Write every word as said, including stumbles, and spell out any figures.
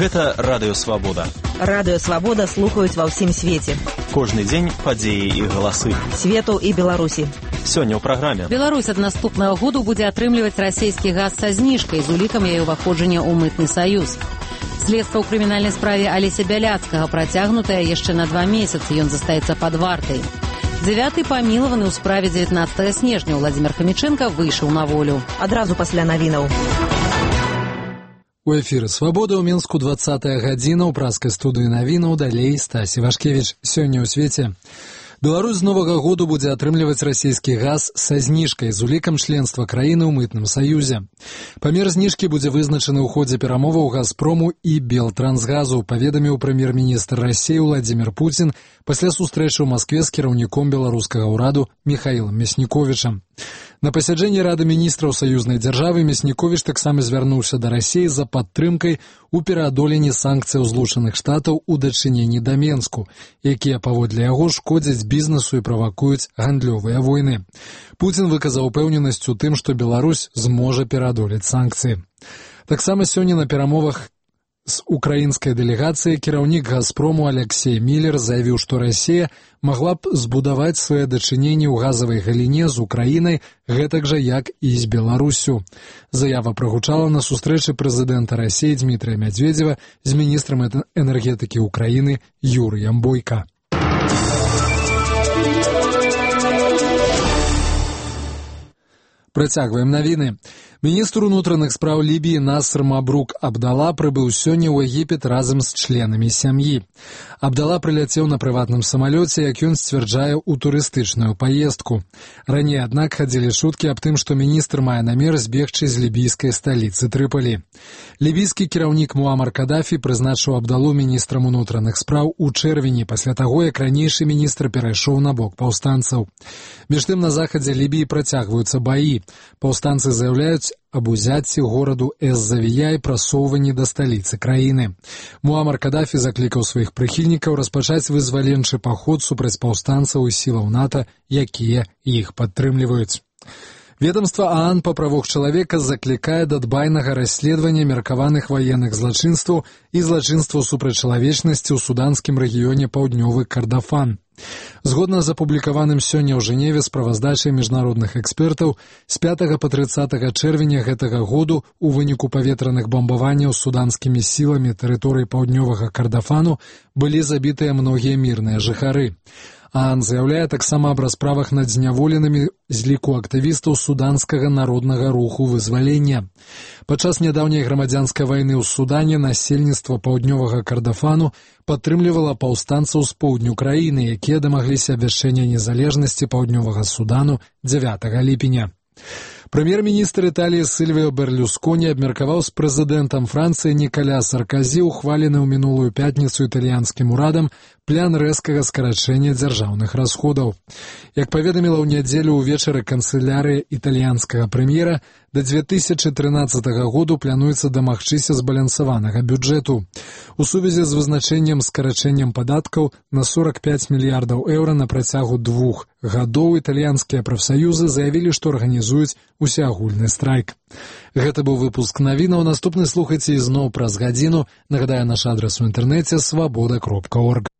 Гэта Радыё Свабода. Радыё Свабода слухаюць ва ўсім свеце. Кожны дзень падзеі і галасы. Свету і Беларусі. Сёння ў праграме. Беларусь ад наступнага году будзе атрымліваць расійскі газ са зніжкай з улікам яе ўваходжання ў мытны саюз. Следства ў крымінальнай справе Алеся Бяляцкага працягнутае яшчэ на два месяцы. Ён застаецца пад вартай. Дзявяты памілаваны ў справе дзевятнаццатага снежня Владзімир Хамічэнка выйшаў на волю. Адразу пасля навінаў. У эфіры «Свабода» ў Мінску двадцатая гадзіна ў праскай студыі навінаў, далей Стасі Вашкевіч. Сёння ў свеце. Беларусь з новага году будзе атрымліваць расійскі газ са зніжкай з улікам членства краіны ў мытным саюзе. Памер зніжкі будзе вызначаны ў ходзе перамоваў «Газпрому» і «Белтрансгазу», паведаміў прэм'ер-міністр Расіі Владзімир Пуцін пасля сустрэчы ў Маскве з кіраўніком беларускага ўраду Міхаілам Мясніковічам. На пасяджэнні Рады міністраў саюзнай дзяржавы Мясніковіч таксама звярнуўся да Расіі за падтрымкай у пераадоленні санкцыяў Злучаных Штатаў у дачыненні да Менску, якія, паводле яго, шкодзяць бізнесу і правакуюць гандлёвыя войны. Пуцін выказаў упэўненасць у тым, што Беларусь зможа пераадолець санкцыі. Таксама сёння на перамовах з украінскай дэлегацыяй кіраўнік «Газпрому» Алексей Міллер заявіў, што Расія магла б збудаваць свае дачыненні ў газавай галіне з Украінай, гэтак жа, як і з Беларусю. Заява прагучала на сустрэчы прэзідэнта Расіі Дмітрыя Мядзведзева з міністрам энергетыкі Украіны Юрыем Бойка. Працягваем навіны. Міністр унутраных спраў Лібіі Насыр Мабрук Абдала прыбыў сёння ў Егіпет разам з членамі сям'і. Абдала прыляцеў на прыватным самалёце, як ён сцвярджае, у турыстычную паездку. Раней, аднак, хадзілі шуткі аб тым, што міністр мае намер збегчы з лібійскай сталіцы Трыпалі. Лібійскі кіраўнік Муамар Кадафі прызначыў Абдалу міністрам унутраных спраў у чэрвені, пасля таго, як ранейшы міністр перайшоў на бок паўстанцаў. Між тым, на захадзе Лібіі працягваюцца баі. Паўстанцы заяўляюць аб узяцці гораду Эз-Завія і прасоўванні да сталіцы краіны. Муамар Кадафі заклікаў сваіх прыхільнікаў распачаць вызваленчы паход супраць паўстанцаў і сілаў НАТО, якія іх падтрымліваюць. Ведомство ААН па правах чалавека заклікае да дбайнага расследавання меркаваных ваенных злачынстваў і злачынстваў супраць чалавечнасці ў суданскім рэгіёне Паўднёвы Кардафан. Згодна з апублікаваным сёння ў Жэневе справаздачай міжнародных экспертаў, з пятага па трыццатага чэрвеня гэтага году у выніку паветраных бамбаванняў суданскімі сіламі тэрыторыі Паўднёвага Кардафану былі забітыя многія мірныя жыхары. ААН заяўляе таксама аб расправах над зняволенымі з ліку актывістаў суданскага народнага руху вызвалення. Падчас нядаўняй грамадзянскай вайны ў Судане насельніцтва Паўднёвага Кардафану падтрымлівала паўстанцаў з поўдню краіны, якія дамагліся абвяшчэння незалежнасці Паўднёвага Судану дзявятага ліпеня. Прэм'ер-міністр Італіі Сільвіо Берлюсконі абмеркаваў з прэзідэнтам Францыі Нікаля Сарказі ухвалены ў мінулую пятніцу італьянскім урадам план рэзкага скарачэння дзяржаўных расходаў. Як паведаміла ў нядзелю ўвечары канцылярыя італьянскага прэм'ера, да дзве тысячы трынаццатага году плануецца дамагчыся збалансаванага бюджэту. У сувязі з вызначэннем скарачэннем падаткаў на сорак пяць мільярдаў еўра на працягу двух гадоў італьянскія прафсаюзы заявілі, што арганізуюць усеагульны страйк. Гэта быў выпуск навінаў. Наступны слухайце ізноў праз гадзіну. Нагадаю, наш адрас у інтэрнэце свабода кропка орг.